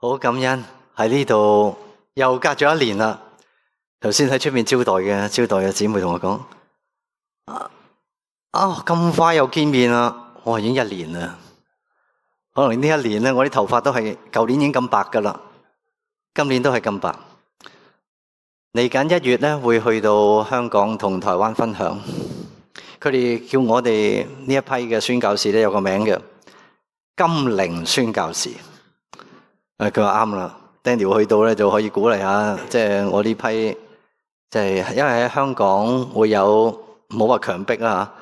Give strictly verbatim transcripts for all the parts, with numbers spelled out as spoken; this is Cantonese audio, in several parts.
好感恩喺呢度又隔咗一年啦。頭先喺出面招待嘅招待嘅姊妹同我講：啊啊咁快又見面啦！我話已經一年啦。可能呢一年咧，我啲頭髮都係舊年已經咁白噶啦，今年都係咁白。嚟緊一月咧，會去到香港同台灣分享。佢哋叫我哋呢一批嘅宣教士咧，有個名嘅金齡宣教士。誒，佢話啱啦 ，Daniel 去到咧就可以鼓勵下，即係我呢批，即係因為喺香港會有冇話強迫啦，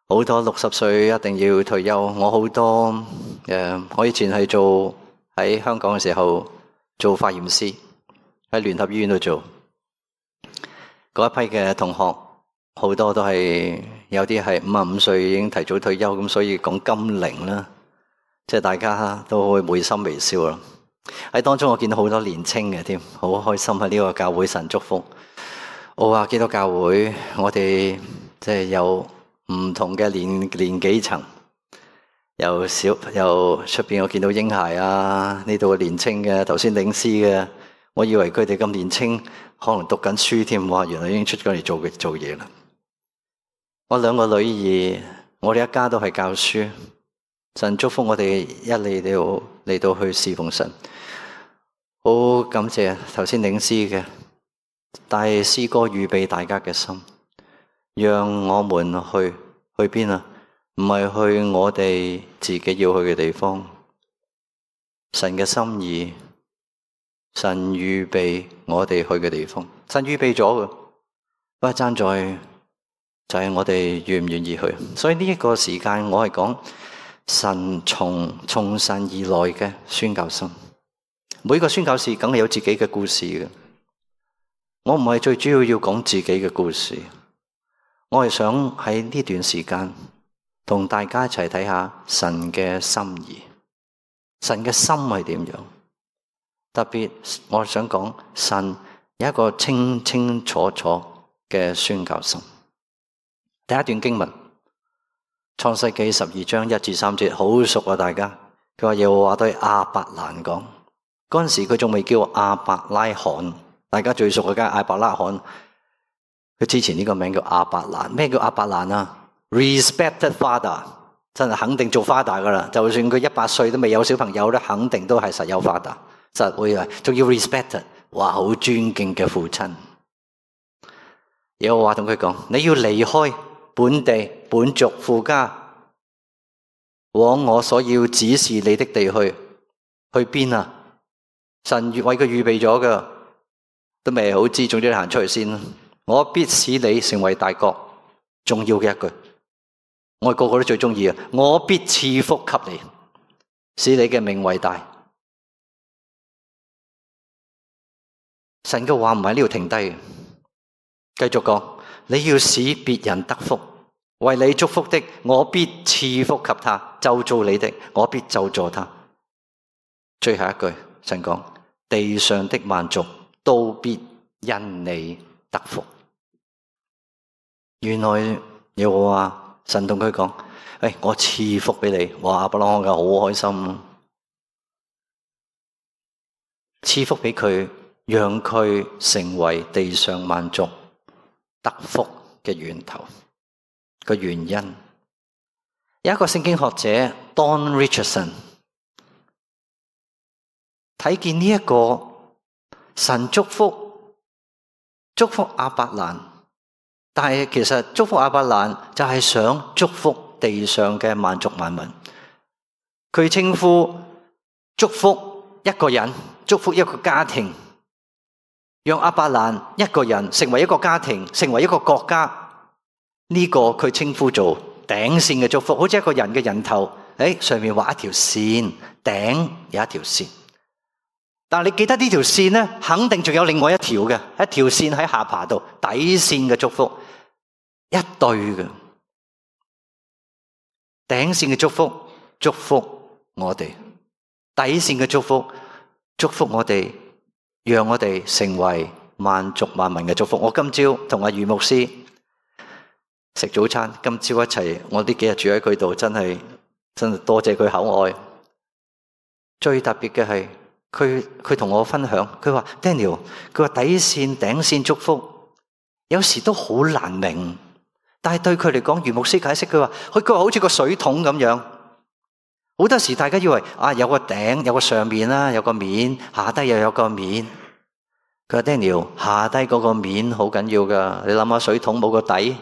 好多六十歲一定要退休。我好多誒，我以前係做喺香港嘅時候做化驗師，喺聯合醫院度做。嗰一批嘅同學好多都係有啲係五十五歲已經提早退休，咁所以講金齡啦，即係大家都會會心微笑啦。喺當中我見到好多年青嘅添，好開心喺呢個教會神祝福。我話基督教會，我哋即係有唔同嘅年年紀層，由小由出邊我見到嬰孩啊，呢度嘅年青嘅，頭先領詩嘅，我以為佢哋咁年青，可能讀緊書添，哇！原來已經出咗嚟做做嘢啦。我兩個女兒，我哋一家都係教書，神祝福我哋一嚟到嚟到去侍奉神。好感謝頭先領詩嘅，帶詩歌預備大家嘅心，讓我們去去邊啊？唔係去我哋自己要去嘅地方，神嘅心意，神預備我哋去嘅地方，神預備咗嘅，不過爭在就係我哋願唔願意去。所以呢一個時間，我係講神從從神而來嘅宣教心。每個宣教士梗係有自己嘅故事嘅，我唔係最主要要講自己嘅故事，我係想喺呢段時間同大家一齊睇下神嘅心意，神嘅心係點樣？特別我想講神有一個清清楚楚嘅宣教心。第一段經文，創世記十二章一至三節，好熟啊！大家，佢話耶和華對亞伯蘭講。嗰陣時佢仲未叫亞伯拉罕，大家最熟嘅梗係亞伯拉罕。佢之前呢個名叫亞伯蘭。咩叫亞伯蘭啊 ？Respected father， 真係肯定做 father 噶啦。就算佢一百歲都未有小朋友咧，肯定都係實有 father， 實會啊，仲要 respected， 哇，好尊敬嘅父親。耶和華同佢講：你要離開本地本族父家，往我所要指示你的地去。去邊啊？神為佢預備咗㗎，都未好知，總之你行出去先。我必使你成為大國。重要嘅一句，我哋個個都最中意啊！我必賜福給你，使你嘅名為大。神嘅話唔喺呢度停低嘅，繼續講，你要使別人得福，為你祝福的，我必賜福給他；咒詛你的，我必咒詛他。最後一句，神講，地上的萬族都必因你得福。原來耶和華神同佢講：誒，我賜福俾你。哇，亞伯拉罕嘅好開心，賜福俾佢，讓佢成為地上萬族得福嘅源頭。個原因，有一個聖經學者 Don Richardson 睇見呢一個神祝福祝福亞伯蘭，但係其實祝福亞伯蘭就係想祝福地上嘅萬族萬民。佢稱呼祝福一個人，祝福一個家庭，讓亞伯蘭一個人成為一個家庭，成為一個國家。呢個佢稱呼做頂線嘅祝福，好似一個人嘅人頭，誒，上面畫一條線，頂有一條線。但係你記得呢條線咧，肯定仲有另外一條嘅，一條線喺下巴度，底線嘅祝福，一對嘅頂線嘅祝福，祝福我哋；底線嘅祝福，祝福我哋，讓我哋成為萬族萬民嘅祝福。我今朝同阿余牧師食早餐，今朝一齊，我呢幾日住喺佢度，真係真係多謝佢厚愛。最特別嘅係，佢佢同我分享，佢話 Daniel， 佢話底線頂線祝福有時都好難明，但係對佢嚟講，余牧師解釋佢話，佢佢話好似個水桶咁樣，好多時大家以為啊有個頂有個上面啦，有個面，下低又有個面。佢話 Daniel， 下低嗰個面好緊要噶，你諗下水桶冇個底，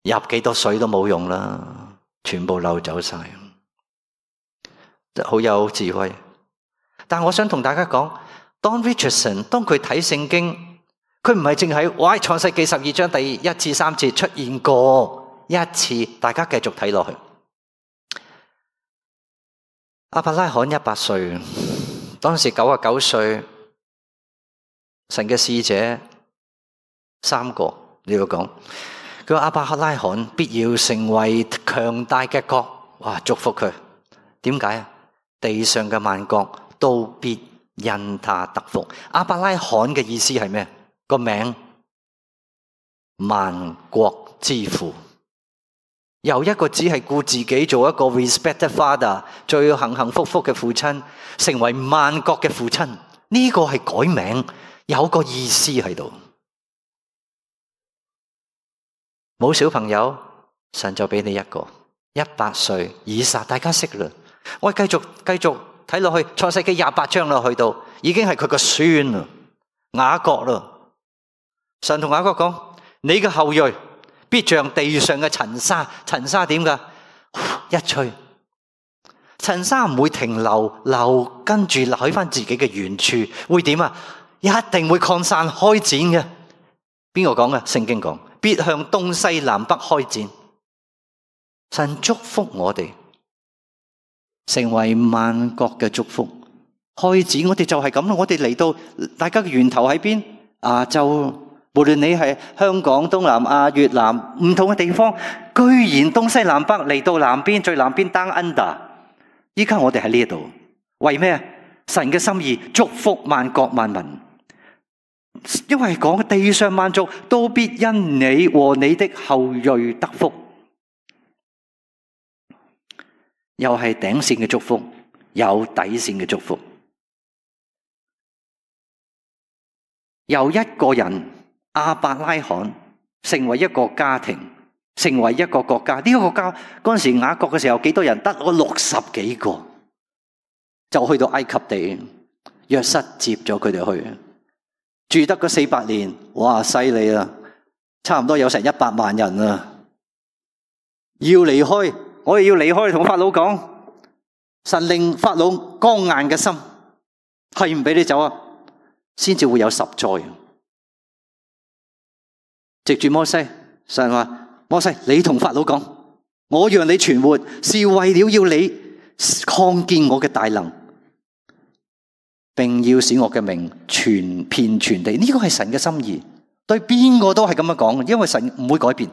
入幾多水都冇用啦，全部漏走晒，好有智慧。但我想同大家講 Don Richardson 當佢睇聖經，佢唔係淨喺哇創世記十二章第一至三節出現過一次，大家繼續睇落去。亞伯拉罕一百歲，當時九十九歲，神嘅使者三個你要講，佢話亞伯拉罕必要成為強大嘅國，哇祝福佢。點解啊？地上嘅萬國都必因他得福。亞伯拉罕嘅意思係咩？個名萬國之父，由一個只係顧自己做一個 respected father， 最幸幸福福嘅父親，成為萬國嘅父親。呢個係改名，有個意思喺度。冇小朋友，神就俾你一個一百歲以撒，大家識啦。我繼續繼續睇落去，創世記廿八章啦，去到已經係佢個孫啦，雅各啦。神同雅各講：你嘅後裔必像地上嘅塵沙，塵沙點噶？一吹，塵沙唔會停留，留跟住留喺翻自己嘅原處，會點啊？一定會擴散開展嘅。邊個講嘅？聖經講，必向東西南北開展。神祝福我哋，成為萬國嘅祝福，開展。我哋就係咁咯。我哋嚟到，大家嘅源頭喺邊？亞洲。無論你係香港、東南亞、越南唔同嘅地方，居然東西南北嚟到南邊，最南邊 down under。依家我哋喺呢度，為咩？神嘅心意，祝福萬國萬民。因為講地上萬族都必因你和你的後裔得福，又係頂線嘅祝福，有底線嘅祝福。由一個人亞伯拉罕成為一個家庭，成為一個國家。呢、這個國家嗰陣時雅各嘅時候幾多人？得我六十幾個，就去到埃及地，約瑟接咗佢哋去。住得嗰四百年，哇，犀利啊！差唔多有成一百萬人啊！要離開，我哋要離開，同法老講，神令法老剛硬嘅心，係唔俾你走啊，先至會有十災。藉住摩西，神話摩西，你同法老講，我讓你存活，是為了要你看見我嘅大能。並要使我嘅名傳遍全地，呢個係神嘅心意，對邊個都係咁樣講，因為神唔會改變。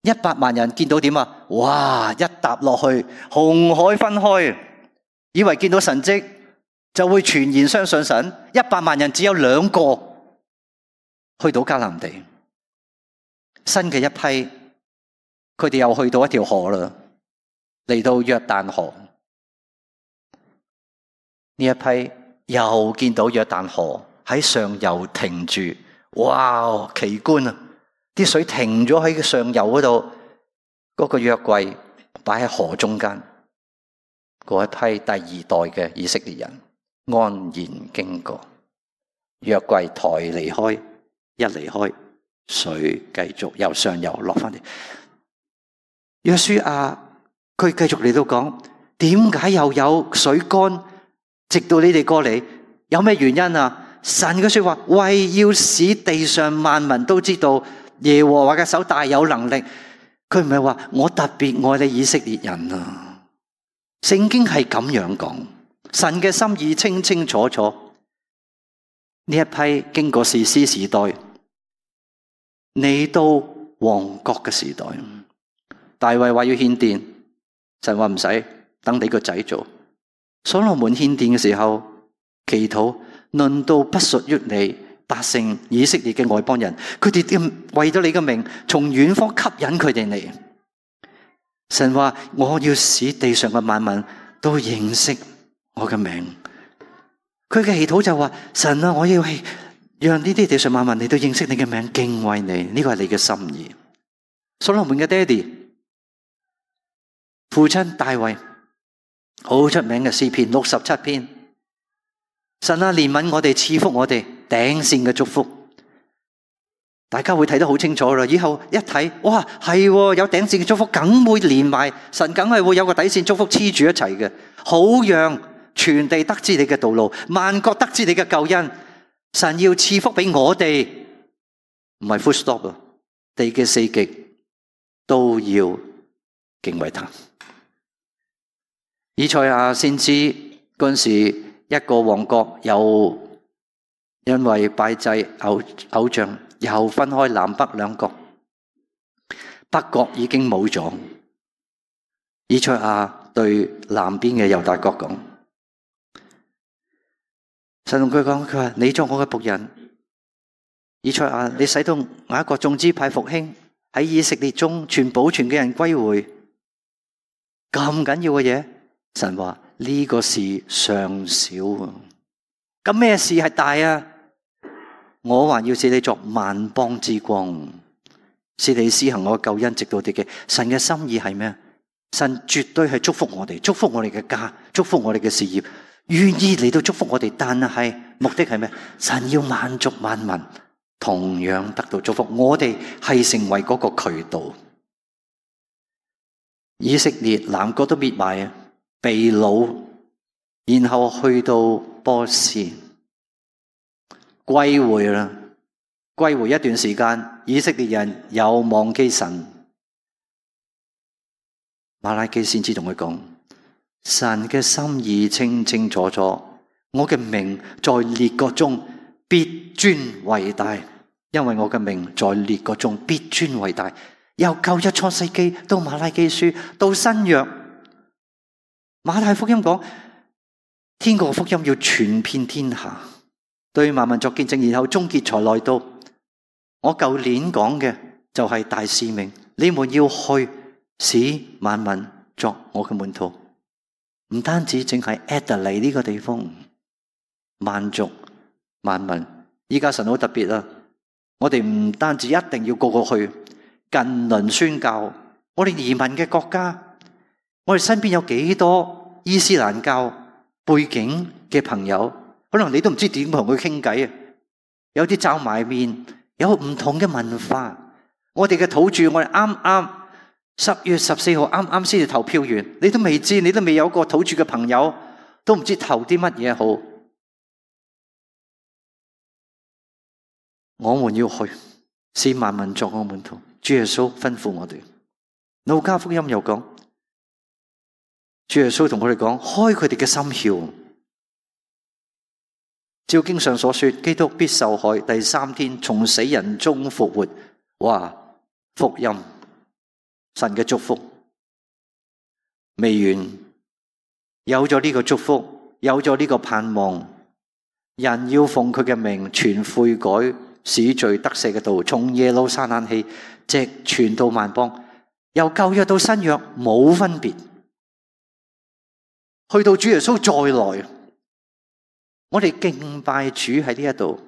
一百萬人見到點啊？哇！一踏落去，紅海分開，以為見到神蹟就會全然相信神。一百萬人只有兩個去到迦南地，新嘅一批，佢哋又去到一條河啦，嚟到約旦河。呢一批又見到約旦河喺上游停住，哇！奇觀啊！啲水停咗喺上游嗰度，嗰個約櫃擺喺河中間，嗰一批第二代嘅以色列人安然經過，約櫃抬離開，一離開，水繼續由上游落翻嚟。約書亞佢繼續嚟到講，點解又有水乾？直到你哋過嚟，有咩原因啊？神嘅說話，為要使地上萬民都知道耶和華嘅手大有能力。佢唔係話我特別愛你以色列人啊。聖經係咁樣講，神嘅心意清清楚楚。呢一批經過士師時代，嚟到王國嘅時代，大衛話要獻殿，神話唔使，等你個仔做。所羅門獻殿嘅時候，祈禱論到不屬於你百姓以色列嘅外邦人，佢哋為咗你嘅名，從遠方吸引佢哋嚟。神話我要使地上嘅萬民都認識我嘅名，佢嘅祈禱就話：神啊，我要係讓呢啲地上萬民嚟到認識你嘅名，敬畏你，呢個係你嘅心意。所羅門嘅爹哋父親大衛好出名嘅詩篇六十七篇，神啊，憐憫我哋，賜福我哋，頂線嘅祝福。大家會睇得好清楚啦。以後一睇，哇，係有頂線嘅祝福，梗會連埋神，梗係會有個底線祝福黐住一齊嘅，好讓全地得知你嘅道路，萬國得知你嘅救恩。神要賜福俾我哋，唔係 full stop 啊！地嘅四極都要敬畏他。以賽亞先知嗰陣時，一個王國又因為拜祭偶偶像，又分開南北兩國，北國已經冇咗。以賽亞對南邊嘅猶大國講，神同佢講，佢話你作我嘅僕人，以賽亞，你使到雅各眾支派復興，喺以色列中全保存嘅人歸回，咁緊要嘅嘢，神話呢個事尚小啊，咁咩事係大啊？我還要使你作萬邦之光，使你施行我嘅救恩直到地極。神嘅心意係咩？神絕對係祝福我哋，祝福我哋嘅家，祝福我哋嘅事業，願意嚟到祝福我哋。但係目的係咩？神要萬族萬民同樣得到祝福，我哋係成為嗰個渠道。以色列南國都滅埋啊，被擄，然後去到波斯。歸回啦，歸回一段時間，以色列人又忘記神。馬拉基先知同佢講，神嘅心意清清楚楚，我嘅名在列國中必尊為大，因為我嘅名在列國中必尊為大。由舊約創世紀到馬拉基書到新約，馬太福音講天國福音要傳遍天下，對萬民作見證，然後終結才來到。我舊年講嘅就係大使命，你們要去使萬民作我嘅門徒，唔單止淨係 Adelaide 呢個地方，萬族萬民。依家神好特別啊！我哋唔單止一定要個個去近鄰宣教，我哋移民嘅國家，我哋身邊有幾多伊斯蘭教背景嘅朋友？可能你都唔知點同佢傾偈啊！有啲皺埋面，有唔同嘅文化。我哋嘅土著，我哋啱啱十月十四號啱啱先至投票完，你都未知，你都未有個土著嘅朋友，都唔知投啲乜嘢好。我們要去，使萬民作我門徒。主耶穌吩咐我哋。路加福音又講，主耶穌同佢哋講，開佢哋嘅心竅。照經上所說，基督必受害，第三天從死人中復活。哇！福音，神嘅祝福未完，有咗呢個祝福，有咗呢個盼望，人要奉佢嘅名傳悔改、使罪得赦嘅道，從耶路撒冷起，直傳到萬邦，由舊約到新約冇分別，去到主耶穌再來。我哋敬拜主喺呢一度，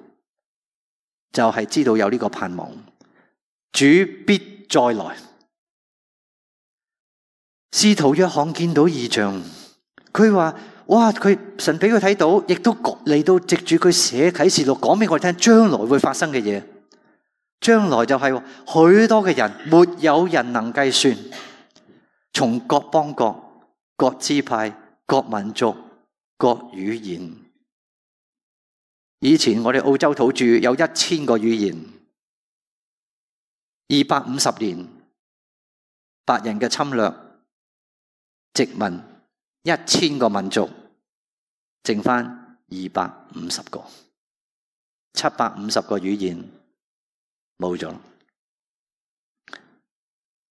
就係知道有呢個盼望，主必再來。使徒約翰見到異象，佢話：哇！佢神俾佢睇到，亦都嚟到藉住佢寫啟示錄，講俾我哋聽將來會發生嘅嘢。將來就係許多嘅人，沒有人能計算，從各邦國、各支派、各民族、各語言。以前我哋澳洲土著有一千個語言，二百五十年白人嘅侵略殖民，一千個民族，剩翻二百五十個，七百五十個語言冇咗。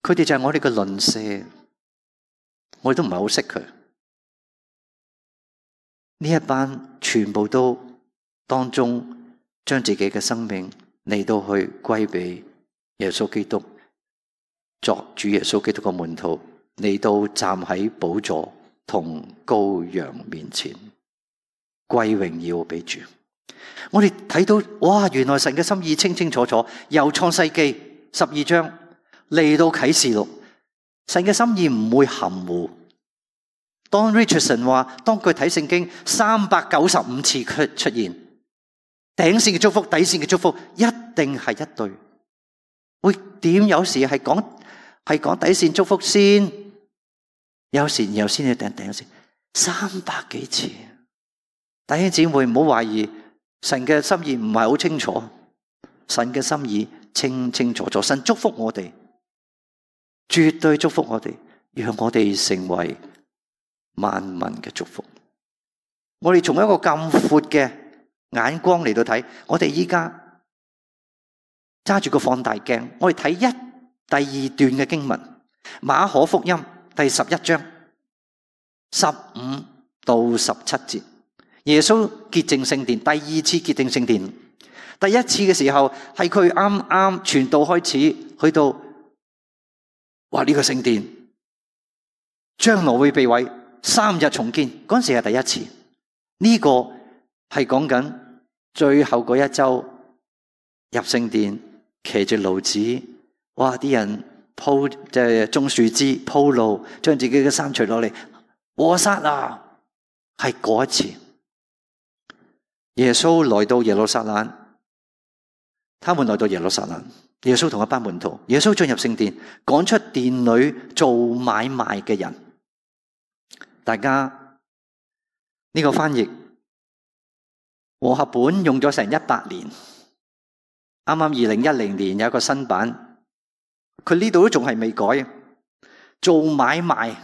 佢哋就係我哋嘅鄰舍，我哋都唔係好識佢。呢一班全部都當中將自己嘅生命嚟到去歸俾耶穌基督，作主耶穌基督嘅門徒，嚟到站喺寶座同羔羊面前。歸榮耀俾主。我哋睇到哇，原來神嘅心意清清楚楚，由創世記十二章嚟到啟示錄，神嘅心意唔會含糊。當 Richardson 話，當佢睇聖經三百九十五次出出現，頂線嘅祝福、底線嘅祝福一定係一對。會點？有時係講係講底線祝福先，有時然後先至頂頂線，三百幾次。弟兄姊妹唔好懷疑，神嘅心意唔係好清楚，神嘅心意清清楚楚。神祝福我哋，絕對祝福我哋，讓我哋成為萬民嘅祝福。我哋從一個咁闊嘅眼光嚟到睇，我哋依家揸住個放大鏡，我哋睇一第二段嘅經文，馬可福音第十一章十五到十七節。耶穌潔淨聖殿，第二次潔淨聖殿。第一次嘅時候係佢啱啱傳道開始，去到話呢個聖殿將來會被毀，三日重建。嗰陣時係第一次。呢個係講緊最後嗰一周入聖殿，騎住驢子，哇！啲人鋪即係種樹枝鋪路，將自己嘅衫除落嚟，和散那，係嗰一次。耶穌來到耶路撒冷，他們來到耶路撒冷，耶穌同一班門徒，耶穌進入聖殿，趕出殿裏做買賣嘅人。大家呢個翻譯和合本用咗成一百年，啱啱二零一零年有一個新版，佢呢度都仲係未改。做買賣，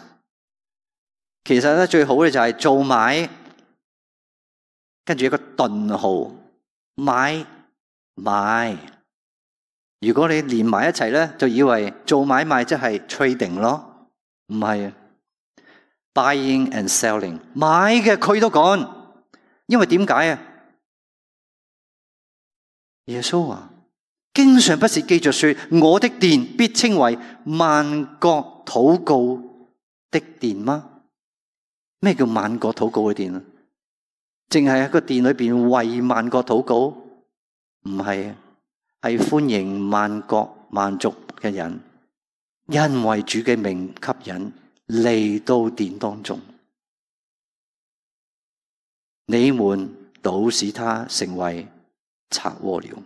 其實咧最好嘅就係做買，跟住一個頓號，買賣。如果你連埋一齊咧，就以為做買賣即係 trading 咯，唔係啊。Buying and selling， 買嘅佢都講，因為點解啊？耶穌話：經上不是記着說，我的殿必稱為萬國禱告的殿嗎？咩叫萬國禱告嘅殿啊？淨係喺個殿裏邊為萬國禱告？唔係，係歡迎萬國萬族嘅人，因為主嘅名吸引嚟到殿當中，你們倒使他成為賊窩了。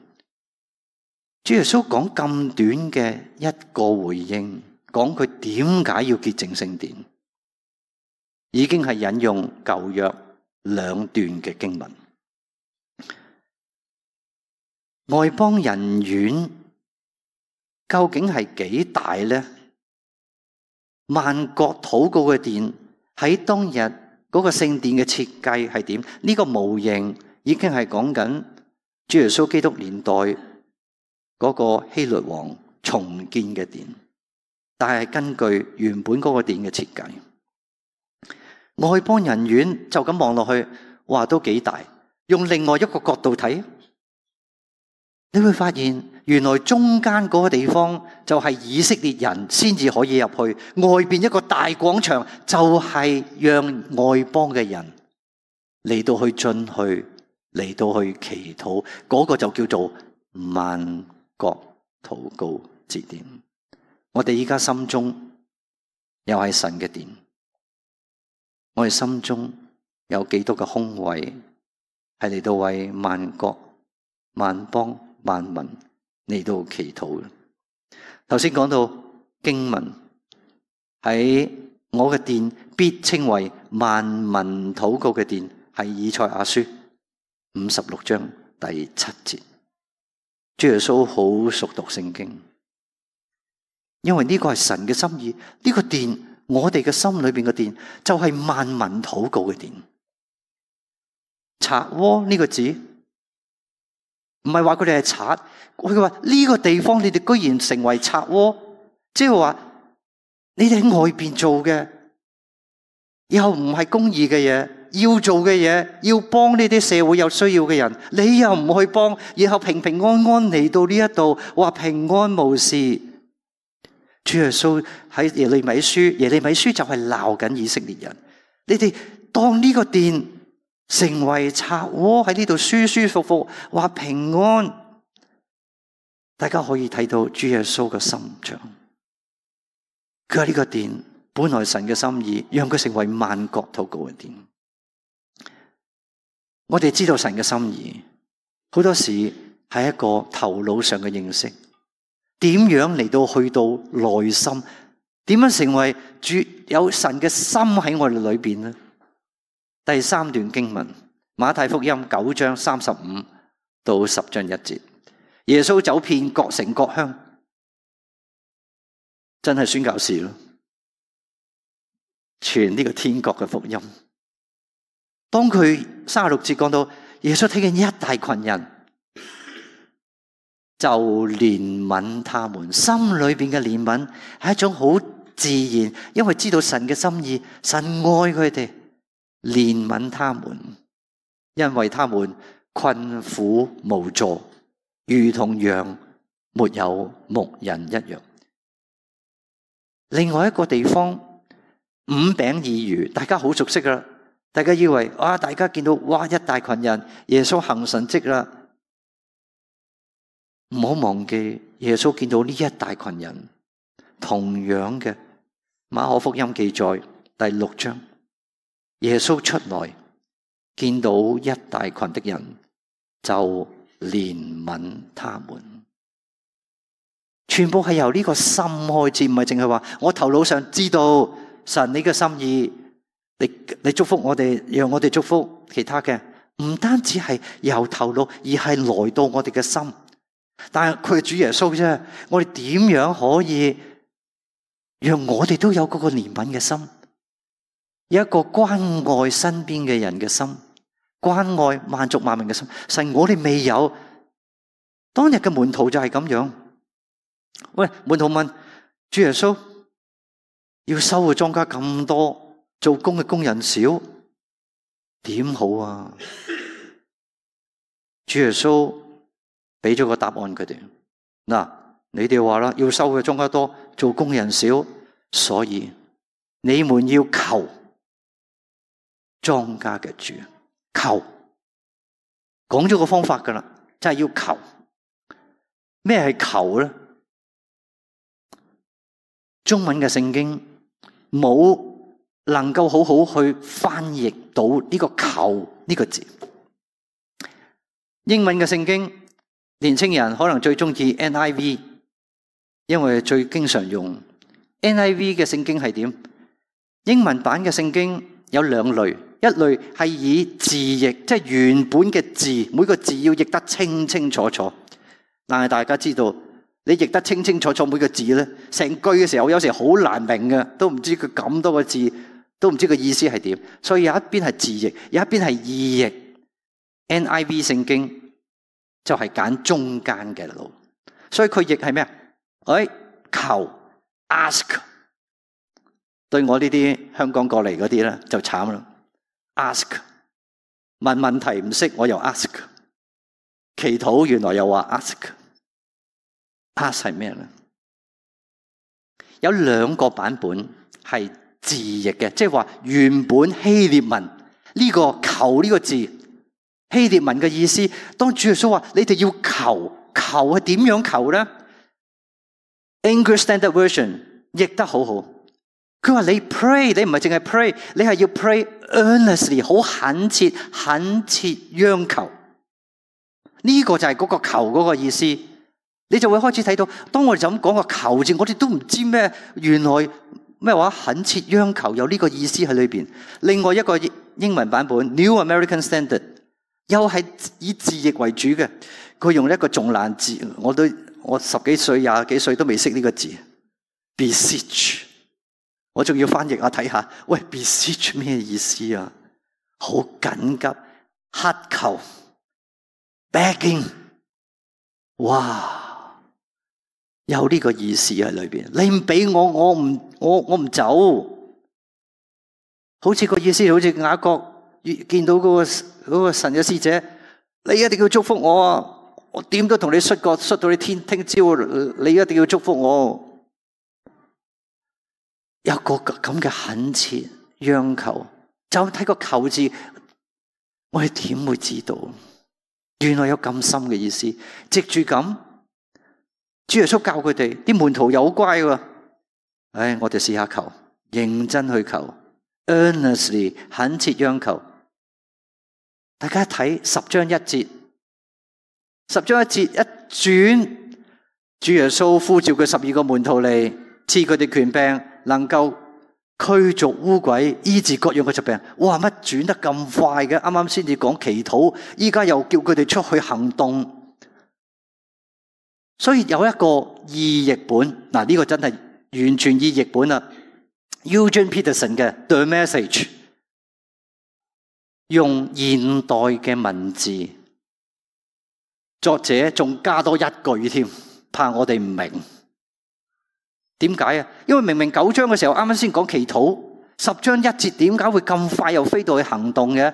主耶穌講咁短嘅一個回應，講佢點解要潔淨聖殿，已經係引用舊約兩段嘅經文。外邦人院究竟係幾大呢？萬國禱告嘅殿喺當日嗰個聖殿嘅設計係點？呢個模型已經係講緊主耶穌基督年代嗰個希律王重建嘅殿，但係根據原本嗰個殿嘅設計，外邦人院就咁望落去，哇，都幾大。用另外一個角度睇，你會發現原來中間嗰個地方就係以色列人先至可以入去，外邊一個大廣場就係讓外邦嘅人嚟到去進去，嚟到去祈禱，嗰個就叫做萬國禱告之殿。我哋依家心中又係神嘅殿，我哋心中有幾多個空位係嚟到為萬國萬邦萬民嚟到祈禱嘅？頭先講到經文喺我嘅殿必稱為萬民禱告嘅殿，係以賽亞書五十六章第七節。主耶穌好熟讀聖經，因為呢個係神嘅心意。呢個殿，我哋嘅心裏邊嘅殿，就係萬民禱告嘅殿。賊窩呢個字，唔係話佢哋係賊，佢話呢個地方你哋居然成為賊窩，即係話你哋喺外邊做嘅，又唔係公義嘅嘢，要做嘅嘢，要幫呢啲社會有需要嘅人，你又唔去幫，然後平平安安嚟到呢一度，話平安無事。主耶穌喺耶利米書，耶利米書就係鬧緊以色列人，你哋當呢個殿成為賊窩喺呢度舒舒服服，話平安。大家可以睇到主耶穌嘅心腸。佢喺呢個殿，本來神嘅心意，讓佢成為萬國禱告嘅殿。我哋知道神嘅心意，好多時係一個頭腦上嘅認識。點樣嚟到去到內心？點樣成為主有神嘅心喺我哋裏邊呢？第三段經文，馬太福音九章三十五到十章一節，耶穌走遍各城各鄉，真係宣教士咯，傳呢個天國嘅福音。當佢三十六節講到耶穌睇見一大群人，就憐憫他們，心裏邊嘅憐憫係一種好自然，因為知道神嘅心意，神愛佢哋。憐憫他們，因為他們困苦無助，如同羊沒有牧人一樣。另外一個地方，五餅二魚，大家好熟悉啦。大家以為啊，大家見到哇一大群人，耶穌行神蹟啦。唔好忘記，耶穌見到呢一大群人，同樣嘅馬可福音記載第六章。耶穌出來，見到一大群的人，就憐憫他們。全部係由呢個心開始，唔係淨係話我頭腦上知道神你嘅心意，你你祝福我哋，讓我哋祝福其他嘅。唔單止係由頭腦，而係來到我哋嘅心。但係佢係主耶穌啫，我哋點樣可以讓我哋都有嗰個憐憫嘅心？有一個關愛身邊嘅人嘅心，關愛萬族萬民嘅心。神，我哋未有。當日嘅門徒就係咁樣。喂，門徒問主耶穌，要收嘅莊稼咁多，做工嘅工人少，點好啊？主耶穌俾咗個答案佢哋。嗱，你哋話啦，要收嘅莊稼多，做工人少，所以你們要求莊稼嘅主，求，講咗個方法噶啦，真係要求。咩係求咧？中文嘅聖經冇能夠好好去翻譯到呢個求呢個字。英文嘅聖經，年青人可能最中意 N I V， 因為最經常用 N I V 嘅聖經係點？英文版嘅聖經有兩類。一類係以字譯，即係原本嘅字，每個字要譯得清清楚楚。但係大家知道，你譯得清清楚楚每個字咧，成句嘅時候有時好難明嘅，都唔知佢咁多個字，都唔知個意思係點。所以有一邊係字譯，有一邊係意譯。N I V 聖經就係揀中間嘅路，所以佢譯係咩啊？哎，求 ask。對我呢啲香港過嚟嗰啲咧就慘啦。ask 問問題唔識，我又 ask 祈禱，原來又話 ask ask 係咩咧？有兩個版本係字譯嘅，即係話原本希臘文呢個求呢個字，希臘文嘅意思，當主耶穌話你哋要求，求係點樣求咧？ English Standard Version 譯得好好。佢話你 pray， 你唔係淨係 pray， 你係要 pray earnestly， 好懇切、懇切央求。呢、這個就係嗰個求嗰個意思。你就會開始睇到，當我哋就咁講個求字，我哋都唔知咩，原來咩話懇切央求有呢個意思喺裏邊。另外一個英文版本 New American Standard 又係以字譯為主嘅，佢用一個仲難字，我都我十幾歲、廿幾歲都未識呢個字 ，beseech。我仲要翻譯下睇下，喂 beseech 咩意思啊？好緊急，乞求 begging， 哇，有呢個意思喺裏邊。你唔俾我，我唔我我唔走。好似個意思，好似雅各見到嗰個嗰個神嘅使者，你一定要祝福我啊！我點都同你摔角，摔到你天聽朝，你一定要祝福我。有個咁嘅懇切央求，就睇個求字，我哋點會知道？原來有咁深嘅意思。藉住咁，主耶穌教佢哋，啲門徒又好乖喎。唉，我哋試下求，認真去求 ，earnestly 懇切央求。大家睇十章一節，十章一節一轉，主耶穌呼召佢十二個門徒嚟，賜佢哋權柄，能夠驅逐污鬼，醫治各樣嘅疾病。哇！乜轉得咁快嘅？啱啱先至講祈禱，依家又叫佢哋出去行動。所以有一個意譯本，嗱、這、呢個真係完全意譯本啦。Eugene Peterson 嘅 The Message 用現代嘅文字，作者仲加多一句添，怕我哋唔明。點解啊？因為明明九章嘅時候啱啱先講祈禱，十章一節點解會咁快又飛到去行動嘅？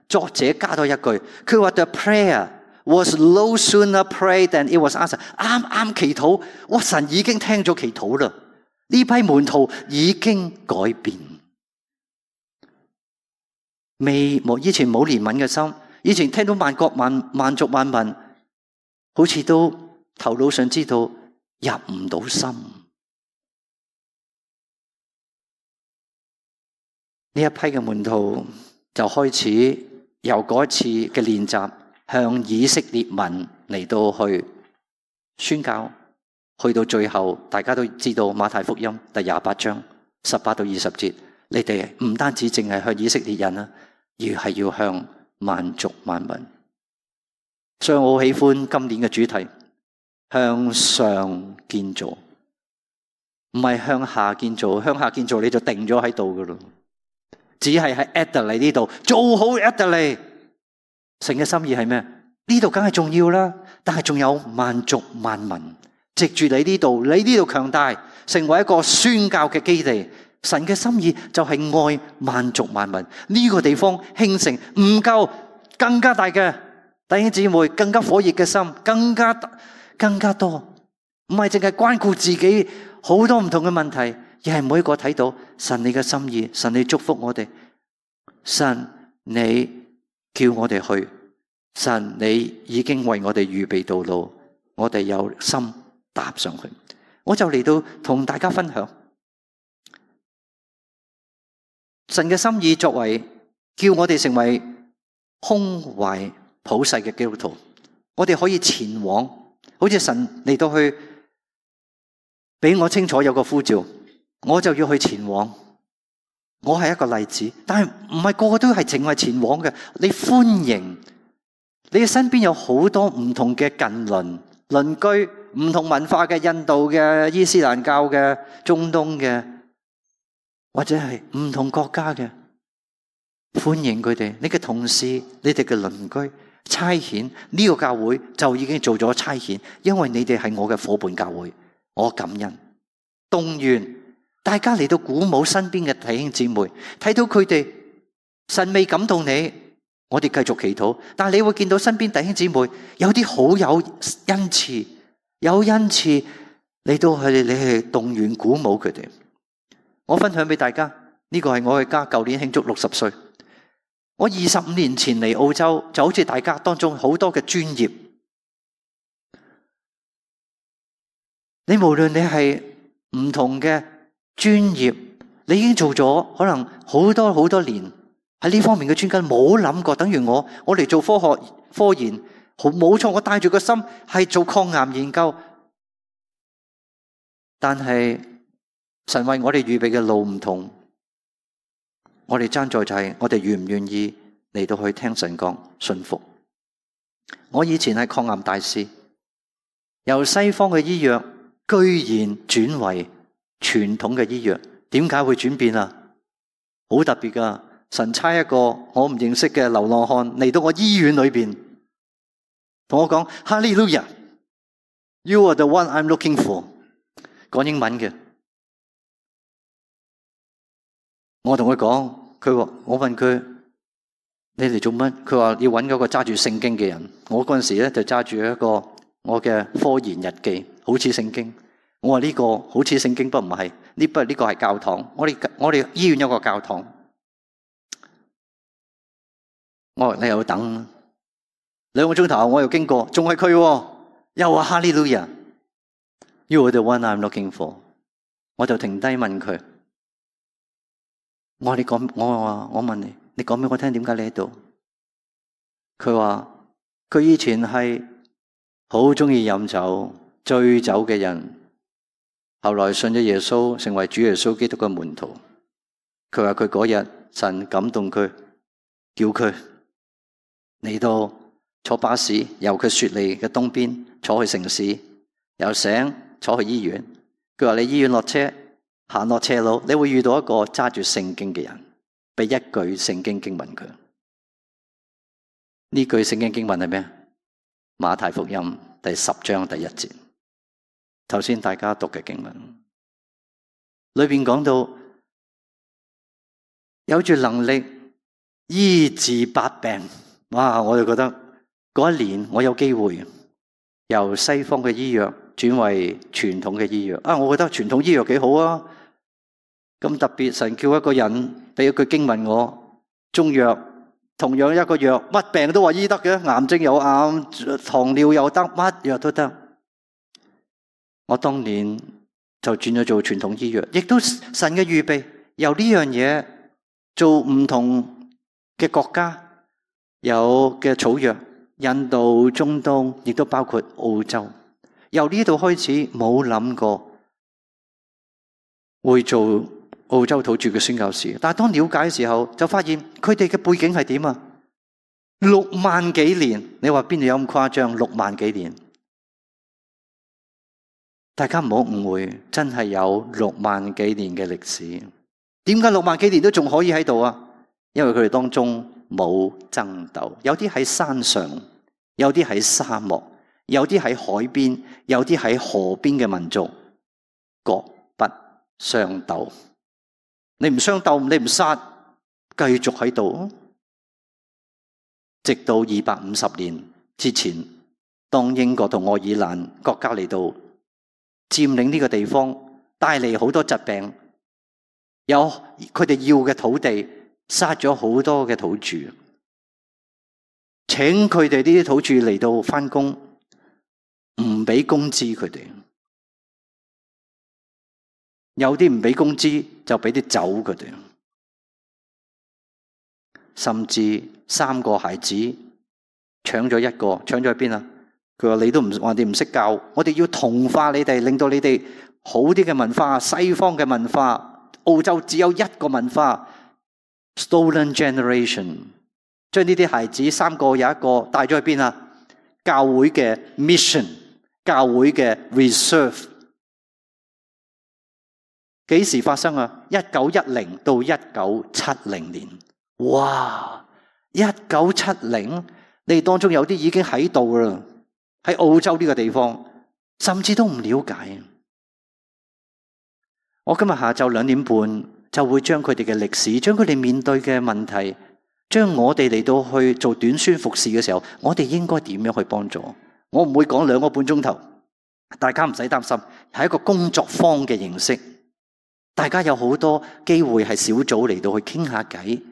作者加多一句，佢話 The prayer was no sooner prayed than it was answered。啱啱祈禱，哇！神已經聽咗祈禱啦。呢批門徒已經改變，未冇以前冇憐憫嘅心，以前聽到萬國萬萬族萬民，好似都頭腦上知道入唔到心。呢一批嘅門徒就開始由嗰一次嘅練習，向以色列民嚟到去宣教，去到最後，大家都知道馬太福音第廿八章十八到二十節，你哋唔單止淨係向以色列人啊，而係要向萬族萬民。所以我好喜歡今年嘅主題，向上建造，唔係向下建造。向下建造你就定咗喺度噶咯。只係喺 Adelaide 呢度做好 Adelaide。神嘅心意係咩？呢度梗係重要啦，但係仲有萬族萬民，藉住你呢度，你呢度強大，成為一個宣教嘅基地。神嘅心意就係愛萬族萬民。呢個地方興盛唔夠，更加大嘅弟兄姊妹，更加火熱嘅心，更加更加多，唔係淨係關顧自己好多唔同嘅問題。而係每一個睇到神你嘅心意，神你祝福我哋，神你叫我哋去，神你已經為我哋預備道路，我哋有心踏上去。我就嚟到同大家分享神嘅心意，作為叫我哋成為胸懷普世嘅基督徒，我哋可以前往，好似神嚟到去俾我清楚有個呼召，我就要去前往。我係一個例子，但係唔係個個都係淨係前往嘅。你歡迎，你嘅身邊有好多唔同嘅近鄰、鄰居，唔同文化嘅，印度嘅、伊斯蘭教嘅、中東嘅，或者係唔同國家嘅，歡迎佢哋。你嘅同事、你哋嘅鄰居，差遣呢個教會就已經做咗差遣，因為你哋係我嘅伙伴教會，我感恩動員。大家嚟到鼓舞身邊嘅弟兄姊妹，睇到佢哋神未感動你，我哋繼續祈禱。但係你會見到身邊弟兄姊妹有啲好有恩賜，有恩賜嚟到佢哋，你去動員鼓舞佢哋。我分享俾大家，呢個係我嘅家，舊年慶祝六十歲。我二十五年前嚟澳洲，就好似大家當中好多嘅專業，你無論你係唔同嘅專業，你已經做咗可能好多好多年喺呢方面嘅專家，冇諗過。等於我，我嚟做科學科研，好冇錯，我帶住個心係做抗癌研究，但係神為我哋預備嘅路唔同，我哋爭在就係我哋願唔願意嚟到去聽神講，信服。我以前係抗癌大使，由西方嘅醫藥居然轉為傳統嘅醫藥，點解會轉變啊？好特別㗎，神差一個我唔認識嘅流浪漢嚟到我醫院裏邊，同我講哈利路亞 ，You are the one I'm looking for。講英文嘅，我同佢講，佢話我問佢你嚟做乜？佢話要揾嗰個揸住聖經嘅人。我嗰陣時咧就揸住一個我嘅科研日記，好似聖經。我話呢個好似聖經，不唔係呢？不呢個係教堂。我哋我哋醫院有個教堂。我話你又等兩個鐘頭，我又經過，仲係佢喎，又話哈利路亞 ，You are the one I'm looking for。我就停低問佢，我話你講，我話我問你，你講俾我聽點解你喺度？佢話佢以前係好中意飲酒、醉酒嘅人，後來信咗耶穌，成為主耶穌基督嘅門徒。佢話佢嗰日神感動佢，叫佢嚟到坐巴士，由佢雪梨嘅東邊坐去城市，由醒坐去醫院。佢話你醫院落車，行落斜路，你會遇到一個揸住聖經嘅人，俾一句聖經經文佢。呢句聖經經文係咩？馬太福音第十章第一節，頭先大家讀嘅經文，裏面講到有住能力醫治百病。哇！我就覺得嗰一年我有機會由西方嘅醫藥轉為傳統嘅醫藥啊！我覺得傳統醫藥幾好啊！咁特別，神叫一個人俾一句經文我，中藥同樣一個藥，乜病都話醫得嘅，癌症有癌，糖尿又得，乜藥都得。我當年就轉咗做傳統醫藥，亦都神嘅預備，由呢樣嘢做唔同嘅國家有嘅草藥，印度、中東，亦都包括澳洲。由呢度開始冇諗過會做澳洲土著嘅宣教士，但係當了解嘅時候，就發現佢哋嘅背景係點啊？六萬幾年，你話邊度有咁誇張？六萬幾年，大家唔好誤會，真係有六萬幾年嘅歷史。點解六萬幾年都仲可以喺度啊？因為佢哋當中冇爭鬥，有啲喺山上，有啲喺沙漠，有啲喺海邊，有啲喺河邊嘅民族，各不相鬥。你唔相鬥，你唔殺，繼續喺度，直到二百五十年之前，當英國同愛爾蘭國家嚟到佔領呢個地方，帶嚟好多疾病，有佢哋要嘅土地，殺咗好多嘅土著，請佢哋呢啲土著嚟到返工，唔俾工資佢哋。有啲唔俾工資就俾啲酒佢哋，甚至三個孩子搶咗一個，搶咗喺邊啊？佢話你都唔話你唔識教，我哋要同化你哋，令到你哋好啲嘅文化，西方嘅文化，澳洲只有一個文化 ，Stolen Generation， 將呢啲孩子三個有一個帶咗去邊啊？教會嘅 mission， 教會嘅 reserve。幾時發生啊？一九一零到一九七零年，哇！一九七零，你哋當中有啲已經喺度啦，喺澳洲呢個地方，甚至都唔了解。我今日下晝兩點半就會將佢哋嘅歷史，將佢哋面對嘅問題，將我哋嚟到去做短宣服侍嘅時候，我哋應該點樣去幫助？我唔會講兩個半鐘頭，大家唔使擔心，係一個工作坊嘅形式。大家有好多機會係小組嚟到去傾下偈，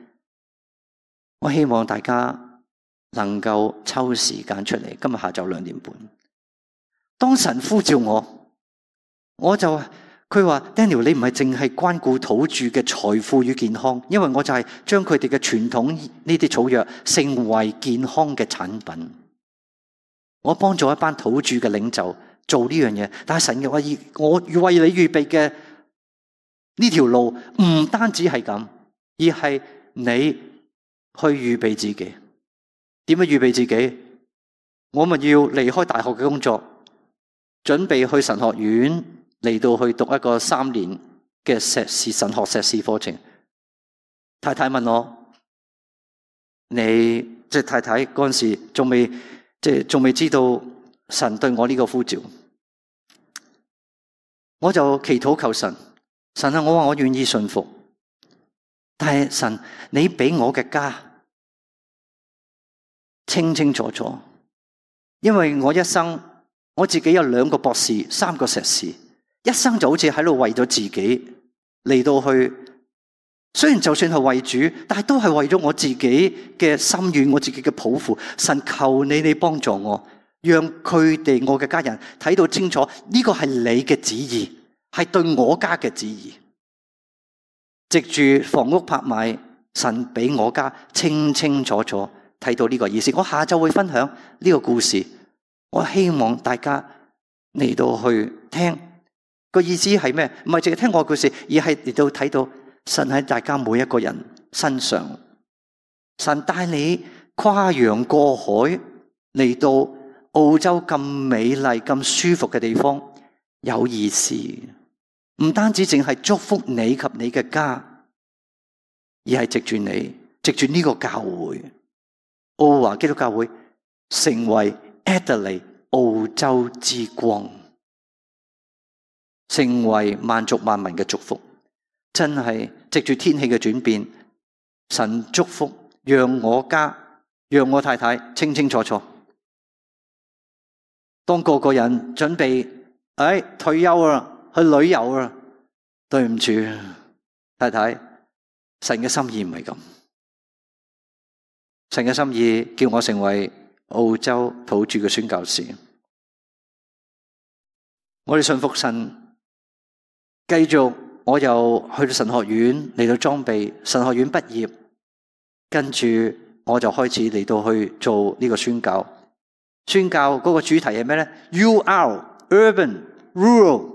我希望大家能夠抽時間出嚟。今日下晝兩點半，當神呼召我，我就佢話 Daniel， 你唔係淨係關顧土著嘅財富與健康，因為我就係將佢哋嘅傳統呢啲草藥成為健康嘅產品。我幫助一班土著嘅領袖做呢樣嘢，但係神嘅話，我為你預備嘅呢條路唔單止係咁，而係你去預備自己。點樣預備自己？我咪要離開大學嘅工作，準備去神學院嚟到去讀一個三年嘅碩士神學碩士課程。太太問我，你即係太太嗰陣時仲未即係仲未知道神對我呢個呼召，我就祈禱求神。神啊，我話我願意順服，但係神，你俾我嘅家清清楚楚，因為我一生我自己有兩個博士，三個碩士，一生就好似喺度為咗自己嚟到去雖然就算係為主，但係都係為咗我自己嘅心願，我自己嘅抱負。神求你，你幫助我，讓佢哋我嘅家人睇到清楚，呢個係你嘅旨意，係對我家嘅旨意。藉住房屋拍賣，神俾我家清清楚楚睇到呢個意思。我下晝會分享呢個故事，我希望大家嚟到去聽個意思係咩？唔係淨係聽我嘅故事，而係嚟到睇到神喺大家每一個人身上，神帶你跨洋過海嚟到澳洲咁美麗、咁舒服嘅地方，有意思。唔單止淨係祝福你及你嘅家，而係藉住你，藉住呢個教會，澳華基督教會成為 Adelaide 澳洲之光，成為萬族萬民嘅祝福。真係藉住天氣嘅轉變，神祝福，讓我家，讓我太太清清楚楚。當個個人準備，哎，退休啦，去旅遊啦，對唔住，太太，神嘅心意唔係咁。神嘅心意叫我成為澳洲土著嘅宣教士。我哋信服神，繼續。我又去到神學院嚟到裝備，神學院畢業，跟住我就開始嚟到去做呢個宣教。宣教嗰個主題係咩呢？ U R Urban Rural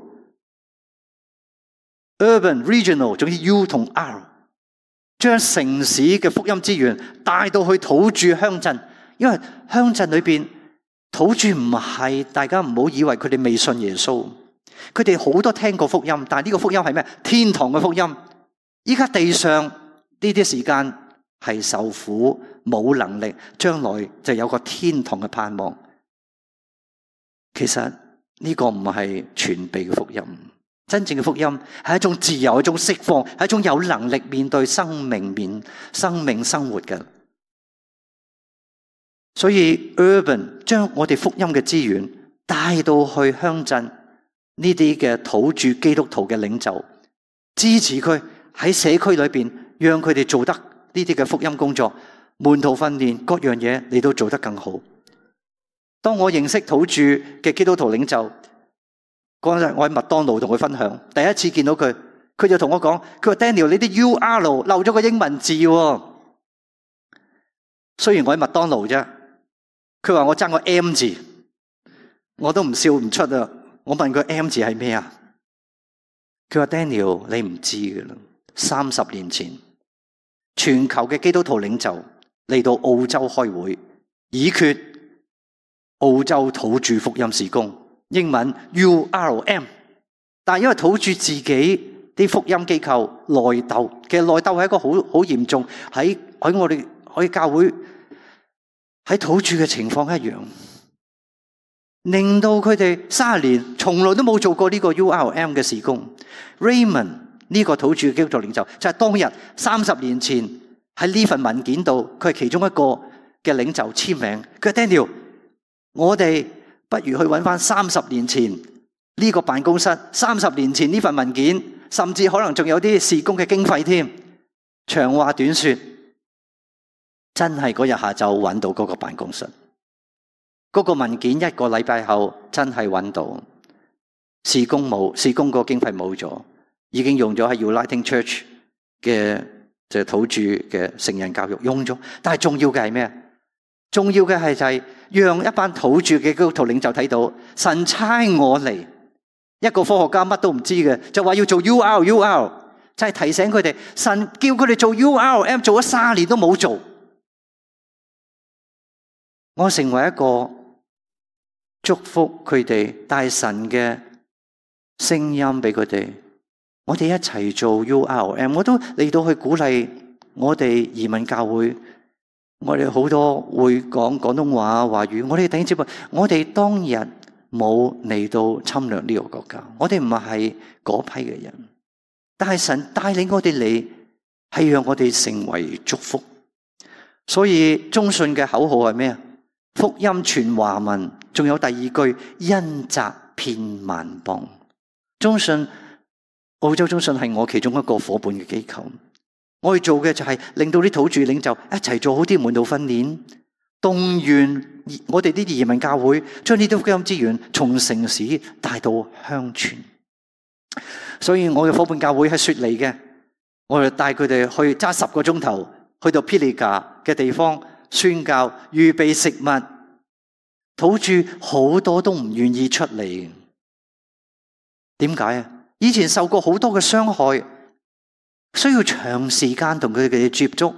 Urban Regional， 總之 U 同 R， 將城市嘅福音資源帶到去土著鄉鎮。因為鄉鎮裏邊土著唔係，大家唔好以為佢哋未信耶穌。佢哋好多聽過福音，但係呢個福音係咩？天堂嘅福音。依家地上呢啲時間係受苦，冇能力，將來就有個天堂嘅盼望。其實呢個唔係全備嘅福音，真正嘅福音係一種自由，一種釋放，係一種有能力面對生命面生命生活嘅。所以 Urban 將我哋福音嘅資源帶到去鄉鎮。呢啲嘅土著基督徒嘅領袖，支持佢喺社區裏邊，讓佢哋做得呢啲嘅福音工作、門徒訓練各樣嘢，你都做得更好。當我認識土著嘅基督徒領袖嗰日，我喺麥當勞同佢分享，第一次見到佢，佢就同我講：佢話 Daniel， 你啲 U R 漏咗個英文字喎。雖然我喺麥當勞啫，佢話我爭個 M 字，我都唔笑唔出啊！我問佢 M 字係咩啊？佢話 Daniel， 你唔知㗎啦。三十年前，全球嘅基督徒領袖嚟到澳洲開會，議決澳洲土著福音事工，英文 U R M。但係因為土著自己啲福音機構內鬥，其實內鬥係一個好好嚴重，喺喺我哋可以教會喺土著嘅情況一樣。令到佢哋三十年從來都冇做過呢個 U R M 嘅事工。Raymond 呢個土著基督徒領袖就係當日三十年前喺呢份文件度，佢係其中一個嘅領袖簽名。佢話 Daniel， 我哋不如去揾翻三十年前呢個辦公室，三十年前呢份文件，甚至可能仲有啲事工嘅經費添。長話短說，真係嗰日下晝揾到嗰個辦公室。嗰個文件一個禮拜後真係揾到，事工冇，事工個經費冇咗，已經用咗喺 Uniting Church 嘅就係土著嘅成人教育用咗。但係重要嘅係咩？重要嘅係就係讓一班土著嘅基督徒領袖睇到，神差我嚟，一個科學家乜都唔知嘅，就話要做 U R U R， 就係提醒佢哋，神叫佢哋做 U R M 做咗三年都冇做。我成為一個祝福佢哋，帶神嘅聲音俾佢哋。我哋一齊做 U R M， 我都嚟到去鼓勵我哋移民教會。我哋好多會講廣東話華語，我哋弟兄姊妹，我哋當日冇嚟到侵略呢個國家，我哋唔係嗰批嘅人，但係神帶領我哋嚟，係讓我哋成為祝福。所以中信嘅口號係咩啊？福音傳華文，仲有第二句恩澤遍萬邦。中信澳洲中信係我其中一個夥伴嘅機構。我哋做嘅就係令到啲土著領袖一齊做好啲門徒訓練，動員我哋啲移民教會，將呢啲福音資源從城市帶到鄉村。所以我嘅伙伴教會係雪梨嘅，我哋帶佢哋去揸十個鐘頭去到 Pilliga 嘅地方宣教，預備食物。土著好多都唔願意出嚟，點解啊？以前受過好多嘅傷害，需要長時間同佢哋接觸，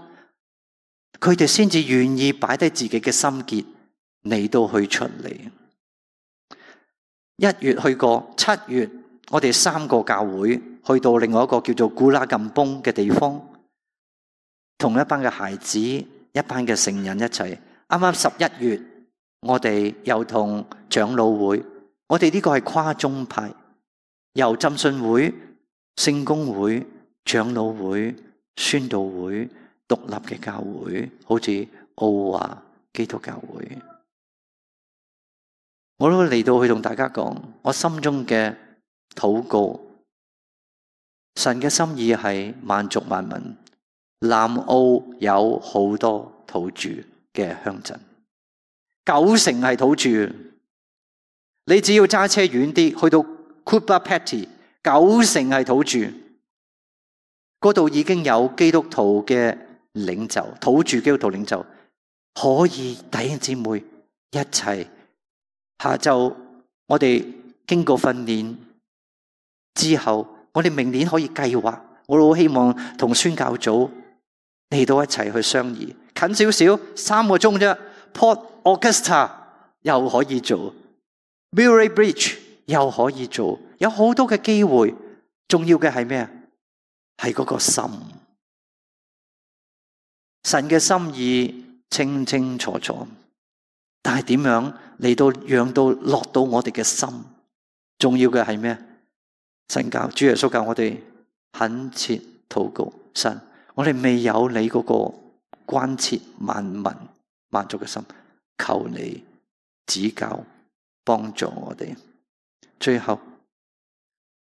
佢哋先至願意擺低自己嘅心結嚟到去出嚟。一月去過，七月我哋三個教會去到另外一個叫做古拉禁崩嘅地方，同一班嘅孩子、一班嘅成人一齊。啱啱十一月，我哋又同長老會，我哋呢個係跨宗派，由浸信會、聖公會、長老會、宣道會、獨立嘅教會，好似奧華基督教會，我都嚟到去同大家講，我心中嘅禱告，神嘅心意係萬族萬民。南澳有好多土著嘅鄉鎮，九成係土著，你只要揸車遠啲，去到 Cooper Pedy， 九成係土著，嗰度已經有基督徒嘅領袖，土著基督徒領袖，可以弟兄姊妹一齊。下晝我哋經過訓練之後，我哋明年可以計劃，我好希望同宣教組嚟到一齊去商議，近少少三個鐘啫。Port Augusta 又可以做 ，Murray Bridge 又可以做，有好多嘅機會。重要嘅係咩啊？係嗰個心，神嘅心意清清楚楚，但係點樣嚟到讓到落到我哋嘅心？重要嘅係咩？神教主耶穌教我哋懇切禱告，神，我哋未有你嗰個關切萬民萬族嘅心，求你指教幫助我哋。最後，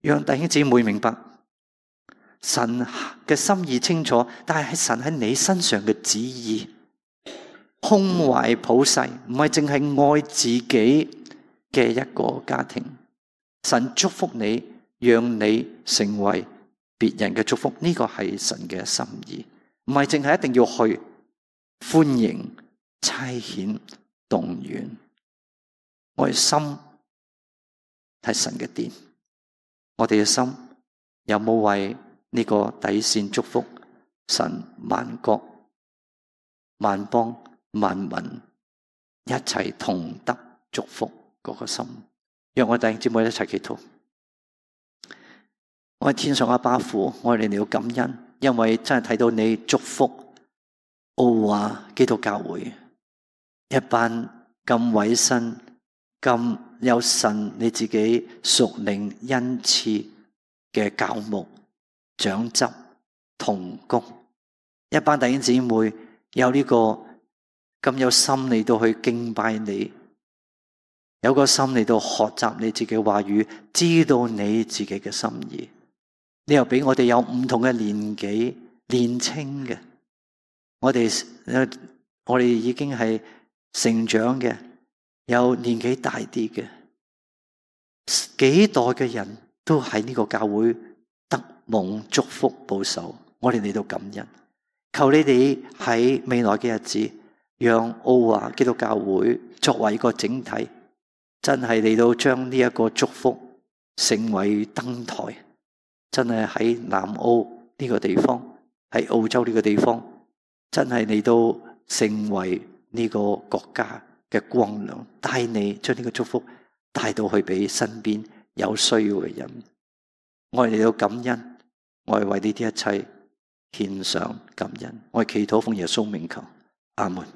讓弟兄姊妹明白神嘅心意清楚，但係神喺你身上嘅旨意，胸懷普世，唔係淨係愛自己嘅一個家庭。神祝福你，讓你成為別人嘅祝福，呢個係神嘅心意，唔係淨係一定要去歡迎、差遣、動員。我哋心係神嘅殿，我哋嘅心有冇為呢個底線祝福神萬國、萬邦、萬民一齊同得祝福嗰個心？讓我哋弟兄姊妹一齊祈禱。我係天上阿爸父，我哋嚟到感恩，因為真係睇到你祝福奧華基督教會一班咁委身、咁有神你自己屬靈恩賜嘅教牧、長執、同工，一班弟兄姊妹有呢個咁有心嚟到去敬拜你，有個心嚟到學習你自己嘅話語，知道你自己嘅心意。你又俾我哋有唔同嘅年紀，年輕嘅，我哋我哋已經係成長嘅，有年紀大啲嘅，幾代嘅人都喺呢個教會得蒙祝福保守。我哋嚟到感恩，求你哋喺未來嘅日子，讓奧華基督教會作為一個整體，真係嚟到將呢一個祝福成為燈台。真係喺南澳呢個地方，喺澳洲呢個地方，真係嚟到成為呢個國家嘅光亮，帶你將呢個祝福帶到去俾身邊有需要嘅人。我哋嚟到感恩，我哋為呢啲一切獻上感恩。我哋祈禱奉耶穌名求，阿門。